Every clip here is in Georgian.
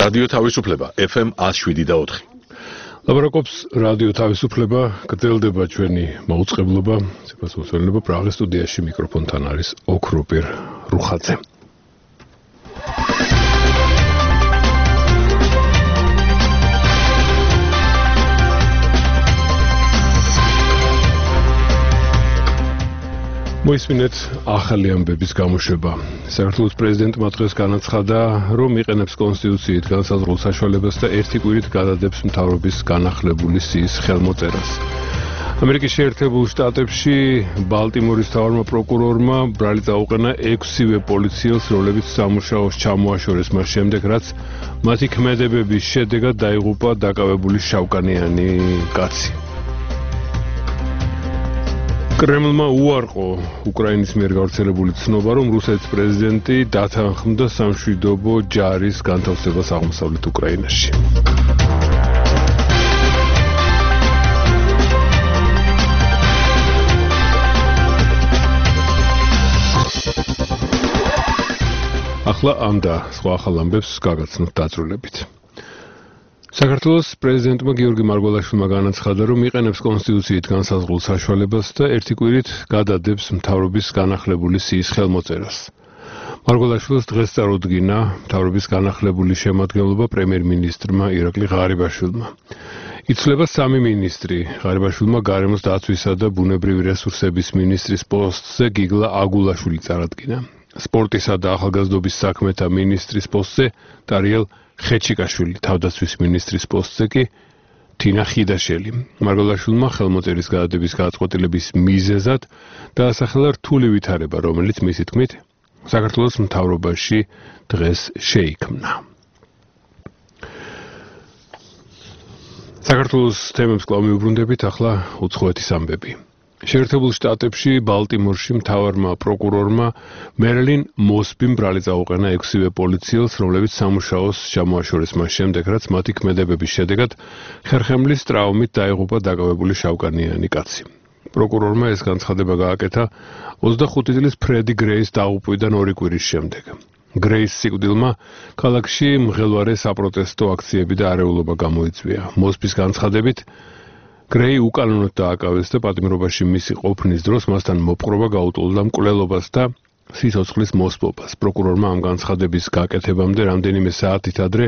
რადიო თავისუფლება FM 107.4. ლაბორაკობს რადიო თავისუფლება, გრძელდება ჩვენი მაუწყებლობა, სიყვარულება პრაღის სტუდიაში მიკროფონთან არის ოქროპირ რუხაძე. მოისმინეთ ახალი ამბების გამოშვება. საქართველოს პრეზიდენტმა დღეს განაცხადა, რომ იყენებს კონსტიტუციით განსაზღვრულ საშუალებას და ერთი კვირით გადადებს მთავრობის განახლებული სიის ხელმოწერას. ამერიკის შეერთებულ შტატებში ბალტიმორის მთავარმა პროკურორმა ბრალი წაუყენა 6-ვე პოლიციელს, რომლებიც სამუშაოს ჩამოაშორეს მას შემდეგ, რაც მათი ქმედებების შედეგად დაიღუპა დაკავებული შავკანიანი კაცი. კრემლმა უარყო უკრაინის მიერ გავრცელებული ცნობა, რომ რუსეთის პრეზიდენტი დათანხმდა სამშვიდობო ჯარის განთავსებას აღმოსავლეთ უკრაინაში. ახლა ამ და სხვა ახალ ამბებს გაგაცნოთ დაწვრილებით. საქართველოს პრეზიდენტმა გიორგი მარგველაშვილმა განაცხადა, რომ იყენებს კონსტიტუციით განსაზღვრულ საშუალებას და ერთი კვირით გადადებს მთავრობის განახლებული სიის ხელმოწერას. მარგველაშვილს დღეს წარუდგინა მთავრობის განახლებული შემადგენლობა პრემიერ-მინისტრმა ირაკლი ღარიბაშვილმა. იცვლება 3 მინისტრი. ღარიბაშვილმა გარემოს დაცვისა და ბუნებრივი რესურსების მინისტრის პოსტზე გიგლა აგულაშვილი წარადგინა. სპორტისა და ახალგაზრდობის საქმეთა მინისტრის პოსტზე დარიელ ხეჩიკაშვილი, თავდაცვის მინისტრის პოსტზე კი თინა ხიდაშელი. მარგველაშვილმა ხელმოწერის გადადების გადაწყვეტილების მიზეზად დაასახელა რთული ვითარება, რომელიც მისი თქმით საქართველოს მთავრობაში დღეს შეიქმნა. საქართველოს თემებს კვლავ მიუბრუნდებით, ახლა უცხოეთის ამბები. შეერთებულ შტატებში ბალტიმორში მთავარმა პროკურორმა მერილინ მოსბიმ ბრალი წაუყენა 6-ვე პოლიციელს, რომლებიც სამუშაოს ჩამოაშორეს მას შემდეგ, რაც მათი ქმედებების შედეგად ხერხემლის ტრაუმით დაიღუპა დაკავებული შავკანიანი კაცი. პროკურორმა ეს განცხადება გააკეთა 25 წლის ფრედი გრეის დაღუპვიდან 2 კვირის შემდეგ. გრეის სიკვდილმა ქალაქში მღელვარე საპროტესტო აქციები და არეულობა გამოიწვია. მოსბის განცხადებით გრეი უკანონოდ დააკავეს და პატიმრობაში მისი ყოფნის დროს მასთან მოპყრობა გაუტოლდა მკვლელობას და სიცოცხლის მოსპობას. პროკურორმა ამ განცხადების გაკეთებამდე რამდენიმე საათით ადრე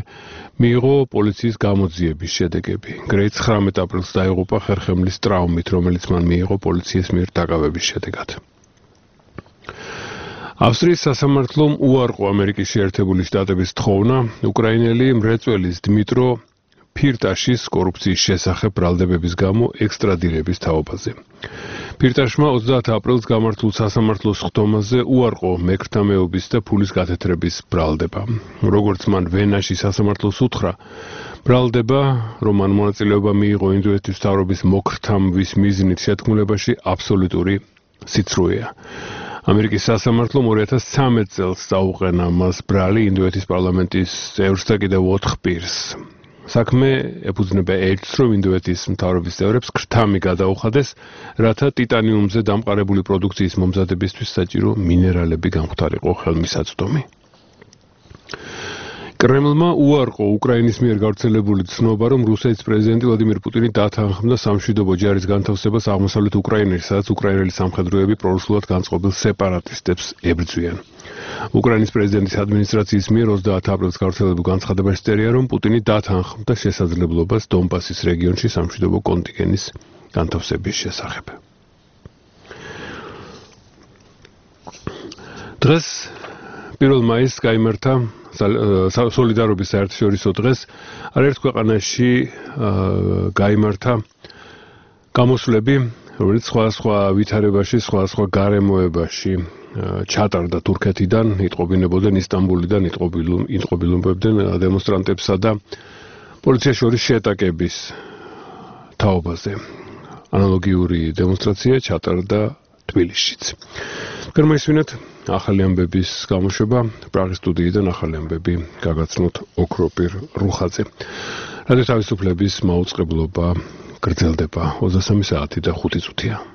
მიიღო პოლიციის გამოძიების შედეგები. გრეი 19 აპრილს დაიღუპა ხერხემლის ტრაუმით, რომელიც მან მიიღო პოლიციის მიერ დაკავების შედეგად. ავსტრიის სასამართლომ უარყო ამერიკის შეერთებული შტატების თხოვნა უკრაინელი მრეწველის დმიტრო ფირტაშის კორუფციის შესახებ ბრალდებების გამო ექსტრადირების თაობაზე. ფირტაშმა 30 აპრილს გამართულ სასამართლოს ხდომაზე უარყო მეკრთამეობის და ფულის გათეთრების ბრალდება. როგორც მან ვენაში სასამართლოს უთხრა, ბრალდება, რომ მან მონაწილეობა მიიღო ინდოეთის მთავრობის მოკრთამვის მიზნით შეთქმულებაში, აბსოლუტური სიცრუეა. ამერიკის სასამართლომ 2013 წელს წაუყენა მას ბრალი ინდოეთის პარლამენტის წევრს და კიდევ 4 პირს. საქმე ეფუძნება ერთს, რომ ინდოეთის მთავრობის წევრებს ქრთამი გადაუხადეს, რათა ტიტანიუმზე დამყარებული პროდუქციის მომზადებისთვის საჭირო მინერალები გამختارიყო ხელმისაწვდომი. კრემლმა უარყო უკრაინის მიერ გავრცელებული ცნობა, რომ რუსეთის პრეზიდენტი ვლადიმირ პუტინი დათანხმდა სამშვიდობო ჯარის განთავსებას აღმოსავლეთ უკრაინაში, სადაც უკრაინელი სამხედროები პრორუსულად განწყობილ სეპარატისტებს ებრძვიან. უკრაინის პრეზიდენტის ადმინისტრაციის მიერ 30 აპრილს გავრცელებულ განცხადებაში წერია, რომ პუტინი დათანხმდა შესაძლებლობას დონბასის რეგიონში სამშვიდობო კონტინგენტის განთავსების შესახებ. დღეს 1 მაისს გაიმართა სოლიდარობის საერთაშორისო დღეს. არაერთ ქვეყანაში გაიმართა გამოსვლები, რომელიც სხვადასხვა ვითარებაში, სხვადასხვა გარემოებაში ჩატარდა თურქეთიდან, იტყობინებოდნენ ისტანბულიდან, იტყობინებოდნენ დემონსტრანტებსა და პოლიციას შორის შეტაკების თაობაზე. ანალოგიური დემონსტრაცია ჩატარდა თბილისშიც. გამოისმინეთ ახალი ამბების გამოშვება პრაღის სტუდიიდან ახალი ამბები გაგაცნოთ ოქროპირ რუხაძე. რადიო თავისუფლების მაუწყებლობა გრძელდება 23 საათი და 5 წუთია.